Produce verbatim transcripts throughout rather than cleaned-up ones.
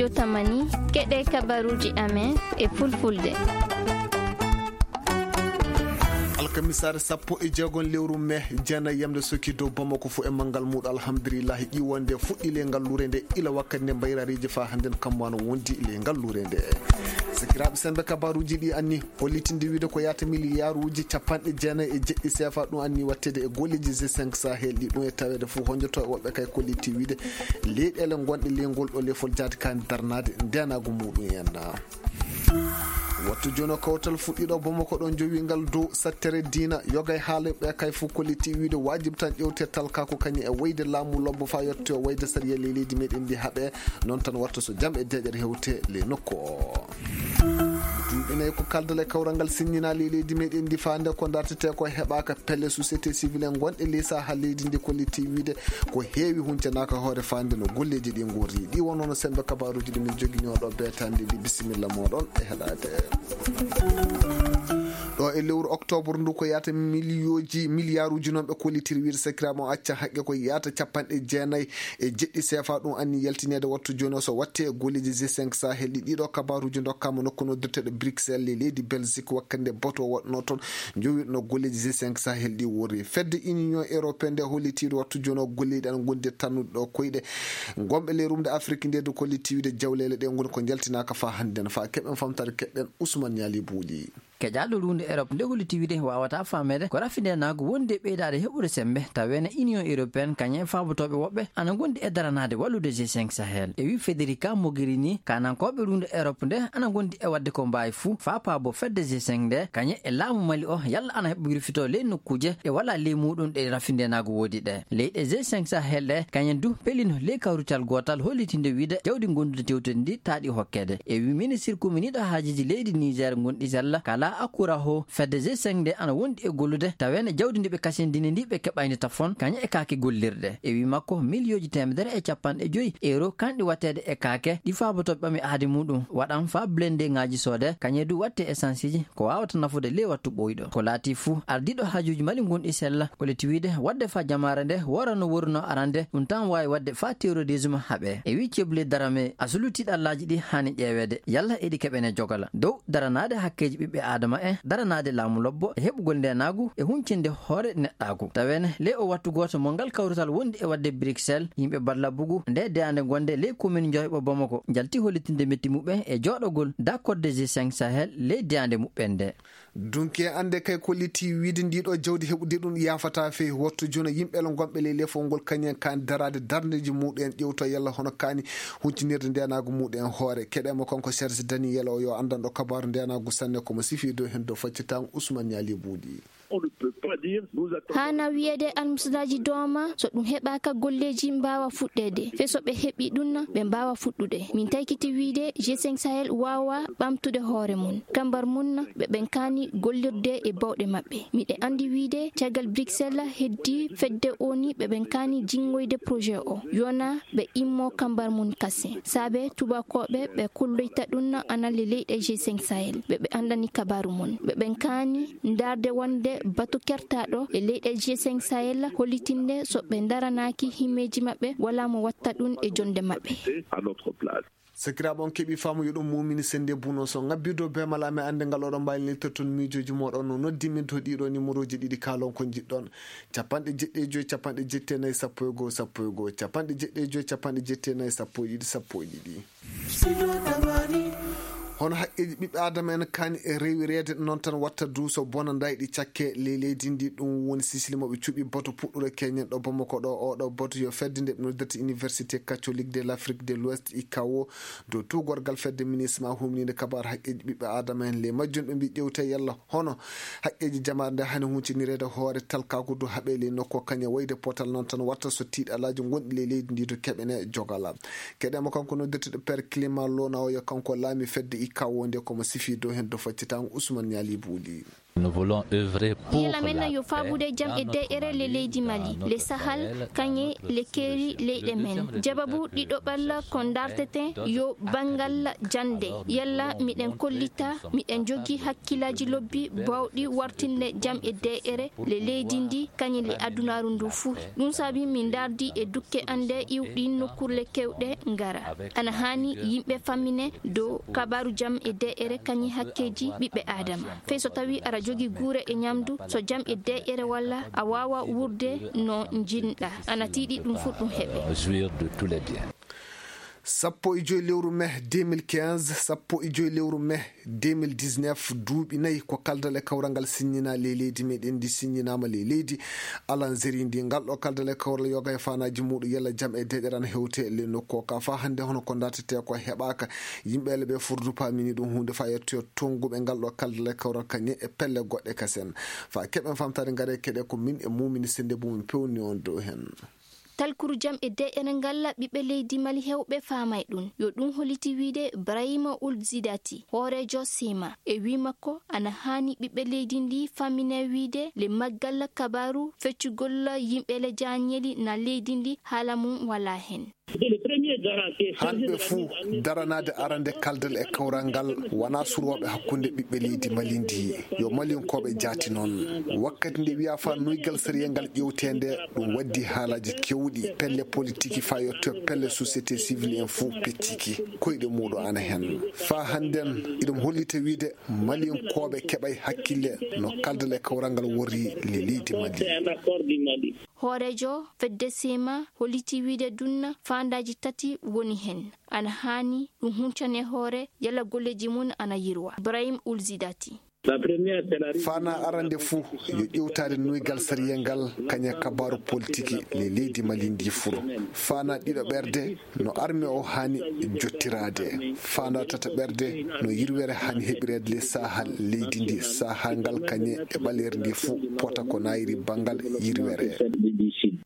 Tamani, keɗee kabaruuji amen e fulfulde. Alkamisaare sappo e jeegom lewru mee, jeenay yamnde sokki dow Bamako fuu e manngal muuɗum, alhamdulillahi, ƴiwonde fuɗɗii ley ngalluure nde, ila wakkati nde mbayraariiji faa hannden kammu ana wondi ley ngalluure nde. Sakiraaɓe, semmbe kabaaruuji ɗii anni hollitinde wiide ko yaata miliyaaruuji cappanɗe jeenay e jeɗɗi seefa ɗum anni watteede e golleeji G cinq Sahel ɗii. Ɗum e taweede fuu honnjoto e woɓɓe kay kolliti wiide leyɗeele ngonɗe ley ngol ɗoo lefol jaati kaani darnaade ndeenaagu muuɗum en. Wattu jooni oo kawtal fuɗɗiiɗo Bamako ɗoo, jowii ngal dow sattere diina, yoga e haala ɓe kay fuu kolliti wiide waajib tan ƴeewte talkaaku kañum e wayde laamu lobbo faa yottoo wayde sariya ley leydi meɗen ndi haɓee, noon tan watta so jam e deeƴere hewte ley nokku oo. Duuɓi nay ko kaldal e kawral ngal sinñinaa ley leydi meɗen ndi faande ko dartetee ko heɓaaka pelle société civile en ngonɗe ley sahaa leydi ndi kolliti wiide ko heewi huncanaaka hoore faande no golleeji ɗii ngorri. Ɗii wonoo no semmbe kabaaruuji ɗi min joginoo ɗoo beetaande ndi. Bisimilla mooɗon e heɗaade. Ɗoo e lewru oktoobar ndu ko yaata miliyooji, miliyaaruuji noon ɓe kollitiri wiide sakiraaɓe on acca haqqe ko yaata cappanɗe jeenay e jeɗɗi seefa ɗum anni yaltineede wattu jooni o so watte e golleeji G cinq Sahel ɗi. Ɗiiɗoo kabaaruuji ndokkaama nokku noddirteeɗo Bruxelles e leydi Belgique wakkati nde boto waɗnoo toon. Njowiɗo no golleeji G cinq Sahel ɗi worri. Fedde Union Européenne nde hollitiiɗo wattu jooni o golleeji ana ngondi tannude ɗo koyɗe. Ngonɓe ley rumde Afrik nde du kollitiiɗo jawleele ɗe ngoni ko njaltinaaka faa hannden. Faa keɓen famtaade keɓen Usman Ñaali Buuɗi. Keƴaaɗo ruunde Erop nde holliti wiide waawataa faameede ko rafi ndeenaagu wondi e ɓeydaade heɓude semmbe, taweene Union Européenne kañe faabotooɓe woɓɓe ana ngondi e daranaade wallude G cinq Sahel. E wii Federica Mogherini, kaanankooɓe ruunde Erop nde ana ngondi e waɗde ko mbaawi fuu faa paaboo fedde G cinq nde, kañe e laamu Mali o, yalla ana heɓa wirfitoo ley nokkuuje ɗe walaa ley muuɗum ɗe rafi ndeenaagu woodi ɗe. Leyɗe G cinq Sahel ɗe, kañen du pelino ley kawrital gootal hollitinde wiide jawdi ngondude tewtedi ndi taaɗi hokkeede. E wii ministir kuminiiɗo haajeeji leydi Niger ngonɗi sella kala Akuraho, fedde G cinq nde ana wondi e gollude, taweene jawdi ndi ɓe kasindini ndi ɓe keɓayndi tafon, kañe e kaake gollirɗe. E wii makko, miliyooji teemedere e cappanɗe joy euro kanɗi watteede e kaake ɗi faabotooɓe ɓami aadi muuɗum waɗan faa blendeŋaaji soodee, kañe du watte esanseeji ko waawata nafude ley wattu ɓooyɗo. Ko laatii fuu, ardiiɗo haajuuji Mali ngonɗi sella, kolliti wiide waɗde faa jamaare nde woora no woorunoo arande, ɗum tan waawi waɗde faa terrorisme haɓee. E wii Ceble Darame, asulu tiiɗallaaji ɗi haani ƴeeweede, yalla eɗi keɓene jogala dow daranaade hakkeeji ɓiɓɓe aadama en, daranaade laamu lobbo e heɓugol ndeenaagu e huncinde hoore neɗɗaagu. Taweene ley oo wattu gooto mo ngal kawrital wondi e waɗde Bruxelles, yimɓe Badlabugu nde deyaande ngonde ley komin Njoheɓo Bamako njalti hollitinde metti muɓɓen e jooɗogol dakorde G cinq Sahel ley deyaande muɓɓen nde. Dunke annde kay kolliti wiide ndiiɗoo jawdi heɓude ɗum yaafataa fey wattu jooni yimɓe le ngonɓe ley lefol ngol kañen kaani daraade darndeeji muuɗum en ƴewtoo yalla hono kaani huncinirde ndeenaagu muuɗum en hoore. Keɗee mo kanko Serge Daniel o yo anndanɗo kabaaru ndeenaagu sanne ko mo sifii dow heen dow faccitaango Usman Ñaali Buuɗi. Haana wiyeede almusidaaji dooma so ɗum heɓaaka golleeji mbaawa fuɗɗeede. Fe so ɓe heɓii ɗum na ɓe mbaawa fuɗɗude. Min taykiti wiide G cinq Sahel waawa ɓamtude hoore mum. Kambar mum na ɓe ɓen kaani gollirde e bawɗe maɓɓe. Miɗe anndi wiide caggal Bruxelles heddii fedde o ni ɓe ɓen kaani jinngoyde projet o. Yona ɓe immoo kambar mum kasen. Saabe tuubakooɓe ɓe kolloyta ɗum na ana le leyɗe G cinq Sahel. Ɓe ɓe anndani kabaaru mum. Ɓe ɓen kaani ndaarde wonde batu kertaaɗo e leyɗe G cinq Sahel hollitinde so ɓe ndaranaaki himmeeji maɓɓe walaa mo watta ɗum e jonnde maɓɓe. Sakiraaɓe on keɓii faamu yo ɗum muumini sennde buno so ŋabbii dow beemal amen annde ngal oɗon mbaawi nelitta toon miijooji mooɗon no noddi min to ɗiiɗoo nimorooji ɗiɗi kaalon ko njiɗɗon. Capanɗe jeɗɗi e joy capanɗe jetti e nayi sappo e goo sappo e goo capanɗe jeɗɗi e joy capanɗe jetti e nayi sappo e ɗiɗi sappo e ɗiɗi. Hono haqqeeji ɓiɓɓe aadama en kaani e rewireede noon tan watta duuso bona ndayɗi cakke ley leydi ndi ɗum woni sisili mo ɓe cuɓi boto puɗɗuɗo keñen ɗo Bamako ɗo oɗo boto yo fedde nde ɓe noddirta Université Catholique de l'Afrique de l'Ouest I C A O dow tuugorgal fedde minisma humniinde kabaar haqqeeji ɓiɓɓe aadama en ley majjum ɓe mbi ƴewte yalla hono haqqeeji jamaare nde hani huncinireede hoore talkaaku du haɓee ley nokku kañe wayde potal noon tan watta so tiiɗalaaji ngonɗi ley leydi ndi du keɓene jogala. Keɗee mo kanko noddirteɗo Père Clément Lona o yo kanko laami fedde I C A O nde ko mo sifii dow heen do faccitaango Ousmane Niali Buuli. Yalla men yo faabude jam e deeƴere le leydi Mali, le Sahal, kaŋŋe le keeri leyɗe men. Jababu ɗiɗo ɓalla ko ndaarteten yo banngal jannde. Yalla miɗen kollita, miɗen njogii hakkillaaji lobbi baawɗi wartinde jam e deeƴere le leydi ndi, kañum le adunaaru ndu fuu. Ɗum saabi min ndaardi e dukke annde iwɗi nokkurle keewɗe ngara. Ana haani yimɓe fammine dow kabaaru jam e deeƴere kañum hakkeeji ɓiɓɓe Aadama. Fey so tawii aɗa jogii guure e ñamdu, so jam e deeƴere walla a waawaa wuurde no njiɗ-ɗaa. Ana tiiɗi ɗum fuu ɗum heɓe. Sappo e joy lewru mai deux mille quinze, sappo e joy lewru mai deux mille dix-neuf, duuɓi nayi ko kaldal e kawral ngal siññinaa ley leydi meɗen ndi, siññinaama ley leydi Alanzeri ndi. Ngal ɗo kaldal e kawral yoga e faanaaji muuɗum yalla jam e deeƴere ana hewte ley nokku o ka. Faa hannde hono ko ndaartetee ko heɓaaka. Yimɓe ele ɓe furdu paamini ɗum huunde faa yettoyo tonnguɓe ngal ɗo kaldal e kawral kañe e pelle goɗɗe kasen. Faa keɓen famtaade ngare keɗe ko min e muumini sende bumin pewni on dow hen. Talkuru jam e deeƴere ngal ɓiɓɓe leydi Mali heewɓe faamay ɗum. Yo ɗum holliti wiide Brahima Ould Zidati, hooreejo Sema, e wii makko ana haani ɓiɓɓe leydi ndi fammine wiide le maggal kabaaru feccugol yimɓe le jaañeli na leydi ndi haala mum walaa hen. Hanɓe fuu daranaade arande kaldal e kawral ngal wanaa surooɓe hakkunde ɓiɓɓe leydi Mali ndi. Yo Malinkooɓe jaati noon. Wakkati nde wiyaa faa noygal sariyel ngal ƴeewtee nde, ɗum waddi haalaaji keewɗi. Pelle politiki faa yotto pelle société civile en fuu pecciki koyɗe muuɗum ana hen. Faa hannden iɗum hollita wiide Malinkooɓe keɓay hakkille no kaldal e kawral ngal worri le leydi Mali. Hooreejo fedde Sema holliti wiide dunna faandaaji tati woni hen. Ana haani ɗum huncane hoore yalla golleeji mum ana yirwa. Brahim Ould Zidati. Faanaa arande fuu yo ƴeewtaade noygal sariyel ngal kañe kabaaru politiki le leydi Mali ndi fuu. Faanaa ɗiɗo ɓerde no arme o haani jottiraade. Faanaa tata ɓerde no yirwere haani heɓireede le saaha leydi ndi, saaha ngal kañe e ɓaleeri ndi fuu pota ko naayiri banngal yirwere.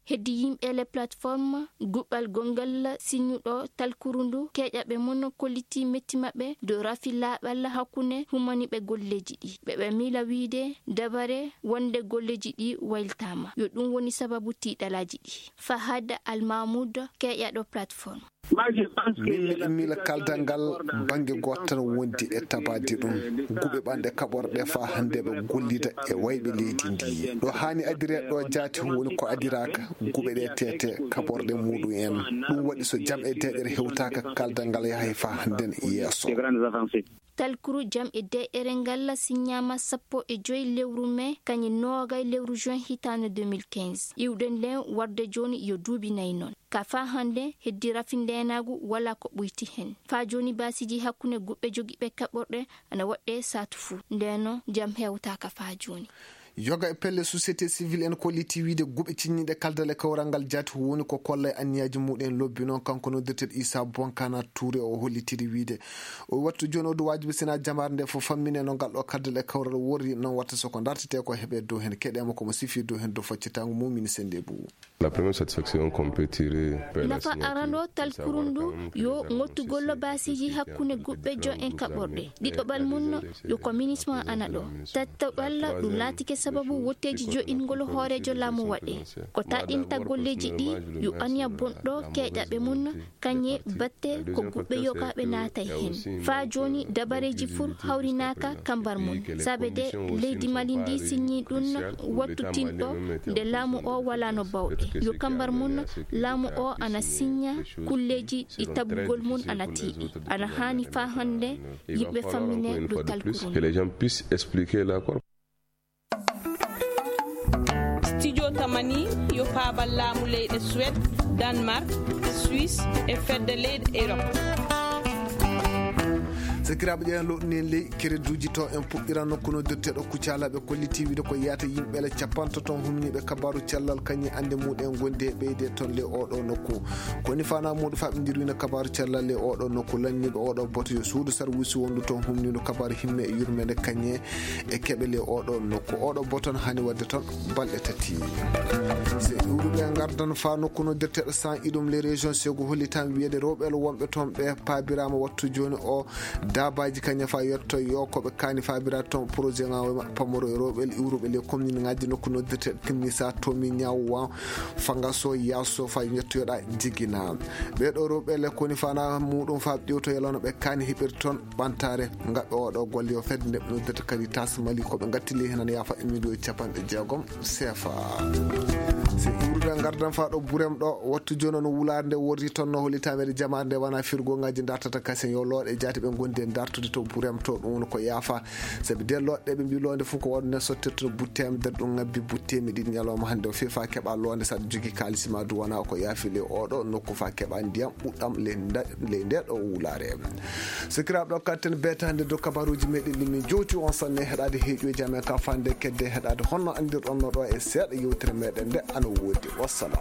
Heddi yimɓe le plateforme guɓɓal gonngal siññuɗo talkuru ndu keeƴaɓe mum kolliti metti maɓɓe dow rafi laaɓal hakkunde humaniiɓe golleeji ɗi. Ɓe ɓe miila wiide dabare wonde golleeji ɗi wayltaama. Yo ɗum woni sababu tiiɗalaaji ɗi. Fahad Al Mahmoud, keeƴaɗo plateforme. Min miɗo miila kaldal ngal bannge gooto tan wondi e tabaade ɗum. Guɓe ɓanɗe kaɓorɗe faa hannde ɓe gollida e wayɓe leydi ndi. Ɗo haani adireede ɗo jaati woni ko adiraaka. Guɓe ɗe teete kaɓorɗe muuɗum en. Ɗum waɗi so jam e deeƴere hewtaaka kaldal ngal yahay faa hannden yeeso. Talkuru jam e deeƴere ngal siññaama sappo e joy lewru mai, kañum noogay lewru juin hitaande deux mille quinze. Iwɗen nden warde jooni yo duuɓi nayi noon. Ka faa hannde heddi rafi ndeenaagu walaa ko ɓoyti hen. Faa jooni baasiiji hakkunde guɓɓe jogiiɓe kaɓorɗe ana waɗɗe saatu fuu. Ndeenoo jam hewtaaka faa jooni. Yoga e pelle société civile en kolliti wiide guɓe ciññiiɗe kaldal e kawral ngal jaati woni ko kollay anniyaaji muuɗum en lobbi noon. Kanko noddirteeɗo Issa Bonkana Touré o hollitiri wiide o wattu jooni o du waajibi sinaa jamaare nde fof fammine no ngal ɗo kaldal e kawral worri noon watta so ko ndartetee ko heɓe dow hen keɗeema ko mo sifi dow hen dow faccitaango mum min sende buu. La première satisfaction qu'on peut tirer per la signature, nafa arano talkuru ndu yo ngottugol baasiiji hakkunde guɓɓe jo en kaɓorɗe. Ɗiɗoɓal mum yo ko minisma ana ɗo. Tattaɓal ɗum laatike sababu wotteeji joɗingol hooreejo laamu waɗe. Ko taƴinta golleeji ɗi yo aniya bonɗo keeƴaɓe mum kañe batte ko guɓɓe yogaaɓe naatay hen. Faa jooni dabareeji fuu hawrinaaka kambar mum. Saabe de leydi Mali ndi siññii ɗum wattu tinɗo nde laamu o walaano bawɗe. Yo kambar mum laamu o ana siñña kulleeji ɗi tabugol mum ana tiiɗi. Ana haani faa hannde yimɓe fammine ɗo talkuru. Que les gens puissent expliquer l'accord. Studio Tamani yo paabal laamu leyɗe Suède, Danemark, Suisse e fedde leyɗe Europe. Sakiraaɓe, ƴeewen lowɗunen ley kereduuji to en puɗɗiran nokku no dotteeɗo Kucala ɓe kolliti wiide ko yaata yimɓe le capantato ton humniiɓe kabaaru cellal kañum annde muɗum en gondi e ɓeyde ton ley oɗo nokku. Ko woni faanaa muuɗum faa ɓe ndirwina kabaaru cellal ley oɗo nokku lanniiɓe oɗo boto yo suudu sarwisi wondu ton humniindu kabaaru himme e yurmeende kañum e keɓe ley oɗo nokku. Oɗo boton haani waɗde ton balɗe tati. Se iwruɓe ngardan faa nokku no dotteeɗo san iɗum ley région segu hollitan wiyeede rewɓe le wonɓe ton ɓe paabiraama wattu jooni o Abaaji kañum faa yetto yo ko ɓe kaani faabiraade toon projet ŋaawo maɓɓe pamoro e rewɓe iwruɓe ley komniŋaaji nokku noddirteeɗo Timmisa, Tomi, Ñawa, Fangaso, Yaaso faa yettoyoɗaa Jigina. Ɓee ɗoo rewɓe le koni fana muuɗum faa ƴeewto yalano ɓe kaani heɓirde toon ɓantaare ngaɗɗo oo ɗoo golle yo fedde nde ɓe noddirta Caritas Mali ko ɓe ngatti ley heen ana yaafa e miliyoŋ capanɗe jeegom seefa. Si iwrude ngardan faa ɗo burem ɗo wattu jooni on wulaare nde worri toon no holi tameede jamaare nde wana firgooŋaaji dartata kasen yo looɗe jaati ɓe ngondi e dartude to burem to ɗum woni ko yaafa. Sabi de looɗe ɓe mbi loonde fof ko waɗu nden sottirta no butte am der ɗum ngabbi butte mi ɗiɗi ñalawma hannde o fefa keɓa loonde saɗa jogi kaalisi ma du wona ko yaafi ley oɗo nokku fa keɓa ndiyam ɓuɗɗam ley nda- ley nde ɗo wulaare. Sikiraaɓe ɗo katten beetande dow kabaruuji meɗen ɗi min jowti on sanne heɗaade heeƴuuji amen ka fande kedde heɗaade honno anndirɗon no ɗo e seeɗa yewtere meɗen nde ana woodi. Wassalam.